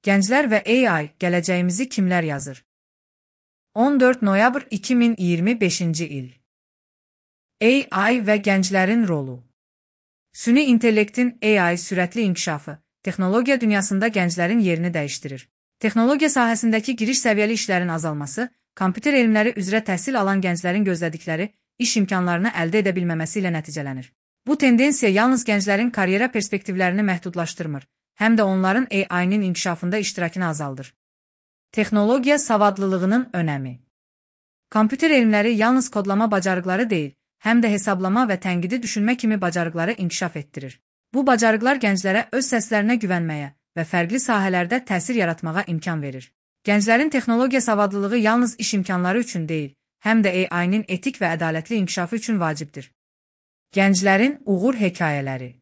Gənclər və AI, gələcəyimizi kimlər yazır? 14 noyabr 2025-ci il. AI və gənclərin rolu. Süni intellektin AI sürətli inkişafı, texnologiya dünyasında gənclərin yerini dəyişdirir. Texnologiya sahəsindəki giriş səviyyəli işlərin azalması, kompüter elmləri üzrə təhsil alan gənclərin gözlədikləri iş imkanlarını əldə edə bilməməsi ilə nəticələnir. Bu tendensiya yalnız gənclərin karyera perspektivlərini məhdudlaşdırmır, həm də onların AI-nin inkişafında iştirakını azaldır. Texnologiya savadlılığının önəmi. Kompüter elmləri yalnız kodlama bacarıqları deyil, həm də hesablama və tənqidi düşünmə kimi bacarıqları inkişaf etdirir. Bu bacarıqlar gənclərə öz səslərinə güvənməyə və fərqli sahələrdə təsir yaratmağa imkan verir. Gənclərin texnologiya savadlılığı yalnız iş imkanları üçün deyil, həm də AI-nin etik və ədalətli inkişafı üçün vacibdir. Gənclərin uğur hekayələri.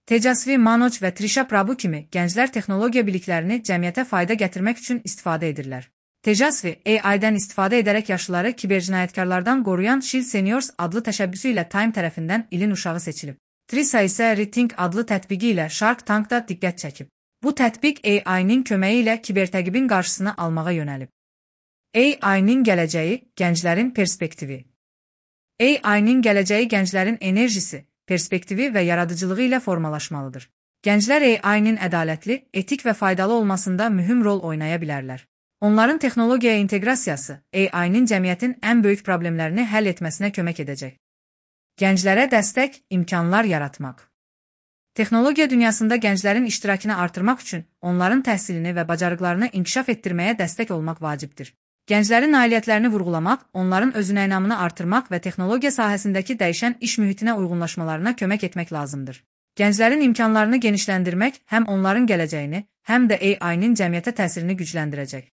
Tejasvi Manoj və Trisha Prabhu kimi gənclər texnologiya biliklərini cəmiyyətə fayda gətirmək üçün istifadə edirlər. Tejasvi, AI-dən istifadə edərək yaşlıları kibercinayətkarlardan qoruyan Shield Seniors adlı təşəbbüsü ilə Time tərəfindən ilin uşağı seçilib. Trisha isə Rethink adlı tətbiqi ilə Shark Tankda diqqət çəkib. Bu tətbiq AI-nin köməyi ilə kibertəqibin qarşısını almağa yönəlib. AI-nin gələcəyi, gənclərin perspektivi. AI-nin gələcəyi gənclərin enerjisi, perspektivi və yaradıcılığı ilə formalaşmalıdır. Gənclər AI-nin ədalətli, etik və faydalı olmasında mühüm rol oynaya bilərlər. Onların texnologiyaya inteqrasiyası AI-nin cəmiyyətin ən böyük problemlərini həll etməsinə kömək edəcək. Gənclərə dəstək, imkanlar yaratmaq. Texnologiya dünyasında gənclərin iştirakını artırmaq üçün onların təhsilini və bacarıqlarını inkişaf etdirməyə dəstək olmaq vacibdir. Gənclərin nailiyyətlərini vurğulamaq, onların özünəynamını artırmaq və texnologiya sahəsindəki dəyişən iş mühitinə uyğunlaşmalarına kömək etmək lazımdır. Gənclərin imkanlarını genişləndirmək həm onların gələcəyini, həm də AI-nin cəmiyyətə təsirini gücləndirəcək.